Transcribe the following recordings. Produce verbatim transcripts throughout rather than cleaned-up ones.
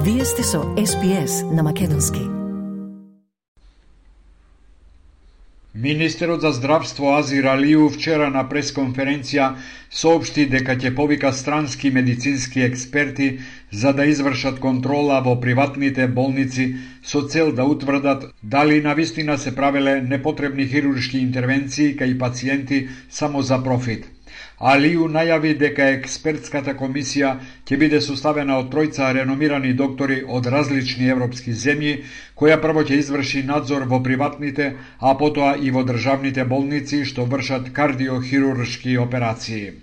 Вие сте со Ес Би Ес на Македонски. Министерот за здравство Азир Алиу вчера на пресконференција соопшти дека ќе повика странски медицински експерти за да извршат контрола во приватните болници со цел да утврдат дали навистина се правеле непотребни хируршки интервенции кај пациенти само за профит. Алиу најави дека експертската комисија ќе биде составена од тројца реномирани доктори од различни европски земји, која прво ќе изврши надзор во приватните, а потоа и во државните болници што вршат кардиохируршки операции.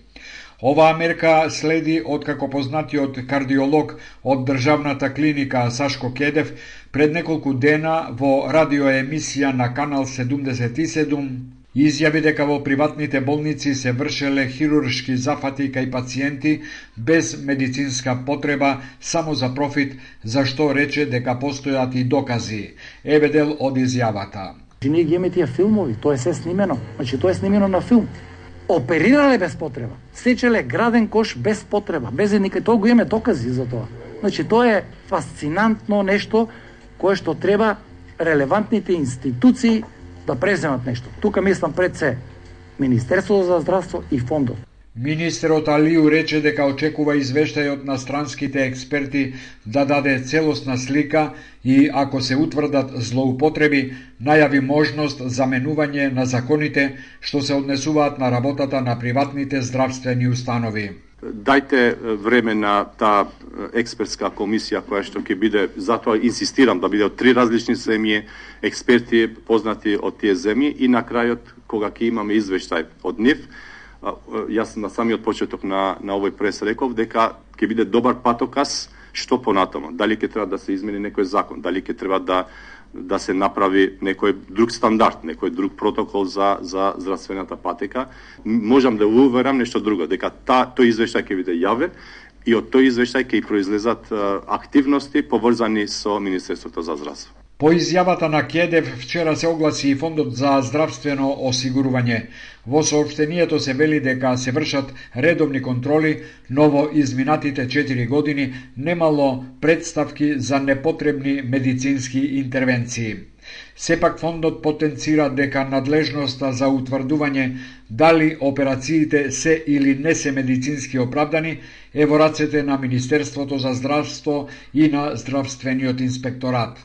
Оваа мерка следи откако познатиот кардиолог од државната клиника Сашко Кедев пред неколку дена во радиоемисија на Канал седумдесет и седум изјави дека во приватните болници се вршеле хируршки зафати кај пациенти без медицинска потреба само за профит, за што рече дека постојат и докази. Еве дел од изјавата. Ние ги имаме тие филмови, тоа е се снимено. Значи тоа е снимено на филм. Оперирале без потреба, сечеле граден кош без потреба, без никај, тоа го имаме докази за тоа. Значи тоа е фасцинантно нешто кое што треба релевантните институции да преземат нешто. Тука мислам пред се Министерството за здравство и фондов. Министерот Алиу рече дека очекува извештајот на странските експерти да даде целосна слика и ако се утврдат злоупотреби, најави можност за менување на законите што се однесуваат на работата на приватните здравствени установи. Дајте време на таа експертска комисија која што ќе биде, затоа инсистирам да биде од три различни земји, експерти познати од тие земји и на крајот кога ќе имаме извештај од нив, јас на самиот почеток на на овој прес реков дека ќе биде добар патоказ што понатаму, дали ќе треба да се измени некој закон, дали ќе треба да да се направи некој друг стандард, некој друг протокол за за здравствената патека. Можам да уверам нешто друго, дека та тој извештај ќе биде јавен и од тој извештај ќе произлезат активности поврзани со Министерството за здравство. По изјавата на Кедев вчера се огласи и Фондот за здравствено осигурување. Во соопштението се вели дека се вршат редовни контроли, но во изминатите четири години немало представки за непотребни медицински интервенции. Сепак фондот потенцира дека надлежноста за утврдување дали операциите се или не се медицински оправдани е во рацете на Министерството за здравство и на здравствениот инспекторат.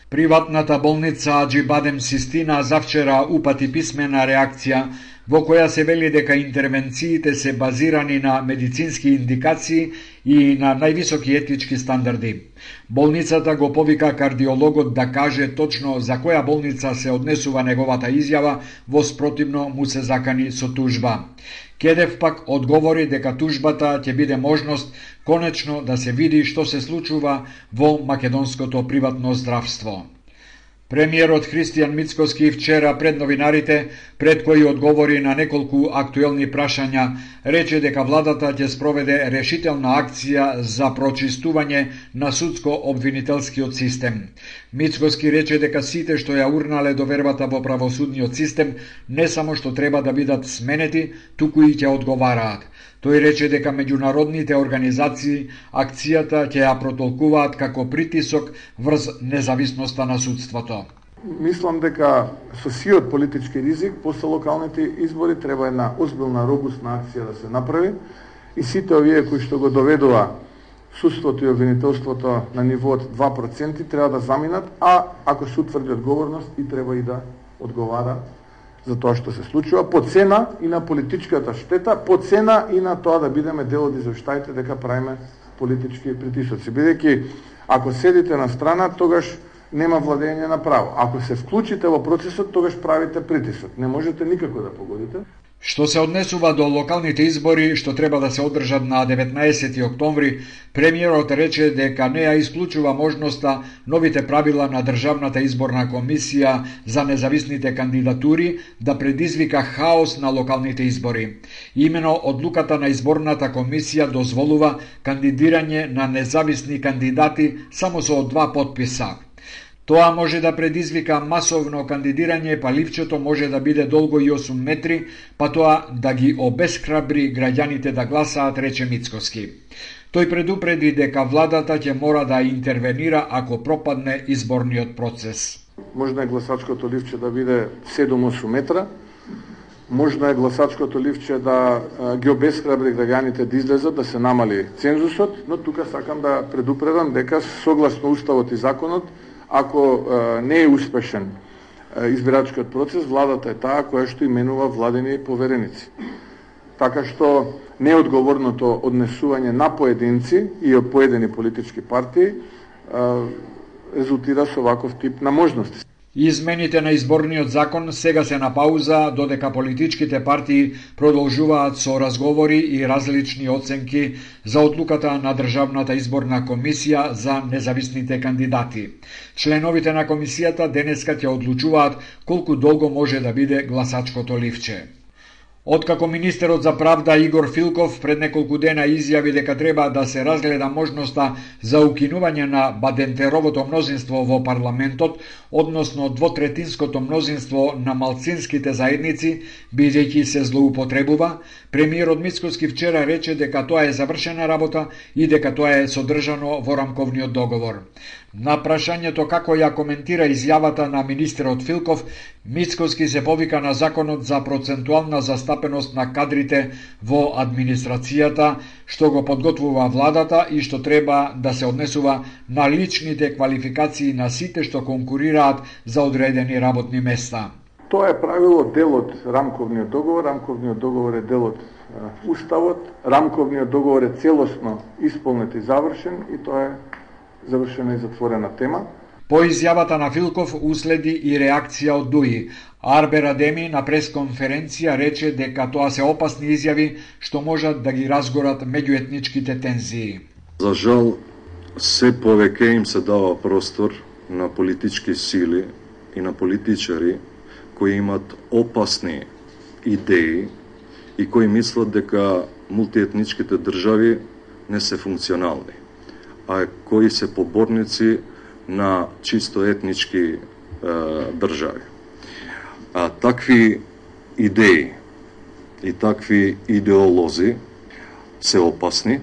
Приватната болница Аџибадем Систина завчера упати писмена реакција во која се вели дека интервенциите се базирани на медицински индикации и на највисоки етички стандарди. Болницата го повика кардиологот да каже точно за која болница се однесува неговата изјава, во спротивно му се закани со тужба. Кедев пак одговори дека тужбата ќе биде можност конечно да се види што се случува во македонското приватно здравство. Премиерот Христијан Мицкоски вчера пред новинарите, пред кои одговори на неколку актуелни прашања, рече дека владата ќе спроведе решителна акција за прочистување на судско-обвинителскиот систем. Мицкоски рече дека сите што ја урнале довербата во правосудниот систем не само што треба да бидат сменети, туку и ќе одговараат. Тој рече дека меѓународните организации акцијата ќе ја протолкуваат како притисок врз независноста на судството. Мислам дека со сиот политички ризик после локалните избори треба една озбилна робусна акција да се направи и сите овие кои што го доведува судството и обвинителството на нивоот два проценти треба да заминат, а ако се утврди одговорност и треба и да одговара за тоа што се случува, по цена и на политичката штета, по цена и на тоа да бидеме дел од извештаите дека правиме политички притисоци. Бидејќи ако седите на страна, тогаш нема владење на право. Ако се вклучите во процесот, тогаш правите притисок. Не можете никако да погодите. Што се однесува до локалните избори што треба да се одржат на деветнаесети октомври, премиерот рече дека не ја исклучува можноста новите правила на Државната изборна комисија за независните кандидатури да предизвика хаос на локалните избори. Имено одлуката на изборната комисија дозволува кандидирање на независни кандидати само со два потписа. Тоа може да предизвика масовно кандидирање, па ливчето може да биде долго и осум метри, па тоа да ги обесхрабри граѓаните да гласаат, рече Мицкоски. Тој предупреди дека владата ќе мора да интервенира ако пропадне изборниот процес. Можна е гласачкото ливче да биде седум-осум метра, можно е гласачкото ливче да ги обесхрабри граѓаните да излезат, да се намали цензусот, но тука сакам да предупредам дека согласно Уставот и законот, ако не е успешен избирачкиот процес, владата е таа која што именува владени повереници. Така што неодговорното однесување на поединци и од поедини политички партии резултира со ваков тип на можности. Измените на изборниот закон сега се на пауза додека политичките партии продолжуваат со разговори и различни оценки за одлуката на Државната изборна комисија за независните кандидати. Членовите на комисијата денеска ќе одлучуваат колку долго може да биде гласачкото ливче. Откако министерот за правда Игор Филков пред неколку дена изјави дека треба да се разгледа можноста за укинување на бадентеровото мнозинство во парламентот, односно двотретинското мнозинство на малцинските заедници, бидејќи се злоупотребува, премиерот Мицкоски вчера рече дека тоа е завршена работа и дека тоа е содржано во рамковниот договор. На прашањето како ја коментира изјавата на министерот Филков, Мицкоски се повика на законот за процентуална застапеност на кадрите во администрацијата, што го подготвува владата и што треба да се однесува на личните квалификации на сите што конкурираат за одредени работни места. Тоа е правило дел од рамковниот договор, рамковниот договор е дел од Уставот, рамковниот договор е целосно исполнет и завршен и тоа е завршена и затворена тема. По изјавата на Филков уследи и реакција од ДУИ. Арбер Адеми на пресконференција рече дека тоа се опасни изјави што можат да ги разгорат меѓуетничките тензии. За жал, се повеќе им се дава простор на политички сили и на политичари кои имат опасни идеи и кои мислат дека мултиетничките држави не се функционални, а кои се поборници на чисто етнички е, држави. А такви идеи и такви идеолози се опасни,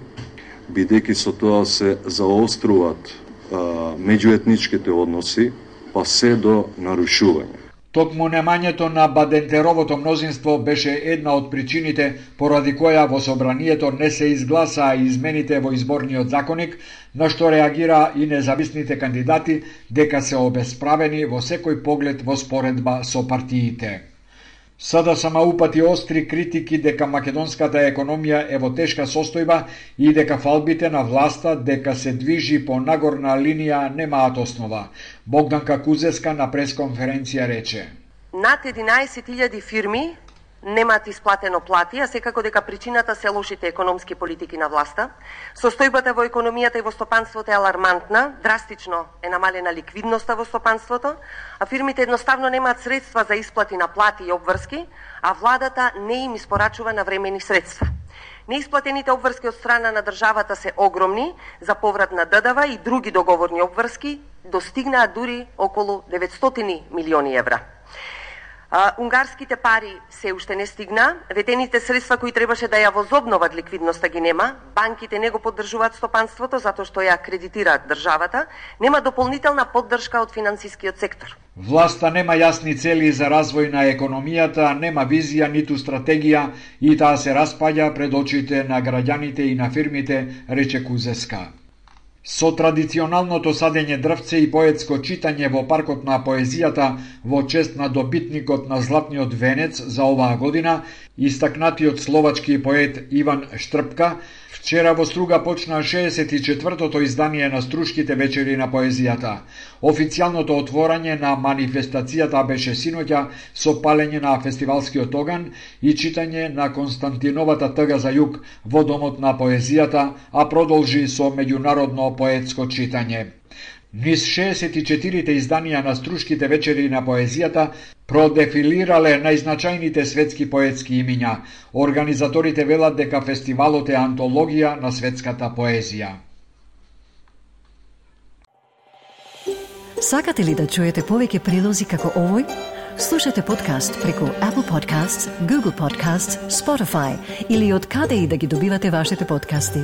бидејќи со тоа се заоструваат е, меѓуетничките односи, па се до нарушување. Токму немањето на бадентеровото мнозинство беше една од причините поради која во собранието не се изгласаа измените во изборниот законник, на што реагира и независните кандидати дека се обесправени во секој поглед во споредба со партиите. Сада сама упати остри критики дека македонската економија е во тешка состојба и дека фалбите на власта дека се движи по нагорна линија немаат основа. Богданка Кузеска на пресконференција рече: Над единаесет илјади фирми немаат исплатено плати, а секако дека причината се лошите економски политики на власта. Состојбата во економијата и во стопанството е алармантна, драстично е намалена ликвидноста во стопанството, а фирмите едноставно немаат средства за исплати на плати и обврски, а владата не им испорачува навремени средства. Неисплатените обврски од страна на државата се огромни, за поврат на ДДВ и други договорни обврски достигнаа дури околу деветстотини милиони евра. А, унгарските пари се уште не стигна, ветените средства кои требаше да ја возобноват ликвидноста ги нема, банките не го поддржуваат стопанството затоа што ја кредитираат државата, нема дополнителна поддршка од финансискиот сектор. Власта нема јасни цели за развој на економијата, нема визија ниту стратегија и таа се распаѓа пред очите на граѓаните и на фирмите, рече Кузеска. Со традиционалното садење дрвце и поетско читање во паркот на поезијата во чест на добитникот на Златниот венец за оваа година, истакнатиот словачки поет Иван Штрпка, вчера во Струга почна шеесет и четвртото издание на Струшките вечери на поезијата. Официјалното отворање на манифестацијата беше синоќа со палење на фестивалскиот оган и читање на Константиновата тъга за југ во Домот на поезијата, а продолжи со меѓународно поетско читање. Низ шеесет и четирите изданија на Струшките вечери на поезијата продефилирале најзначајните светски поетски имиња. Организаторите велат дека фестивалот е антологија на светската поезија. Сакате ли да чуете повеќе прилози како овој? Слушате подкаст преку Apple Podcasts, Google Podcasts, Spotify или од каде и да ги добивате вашите подкасти.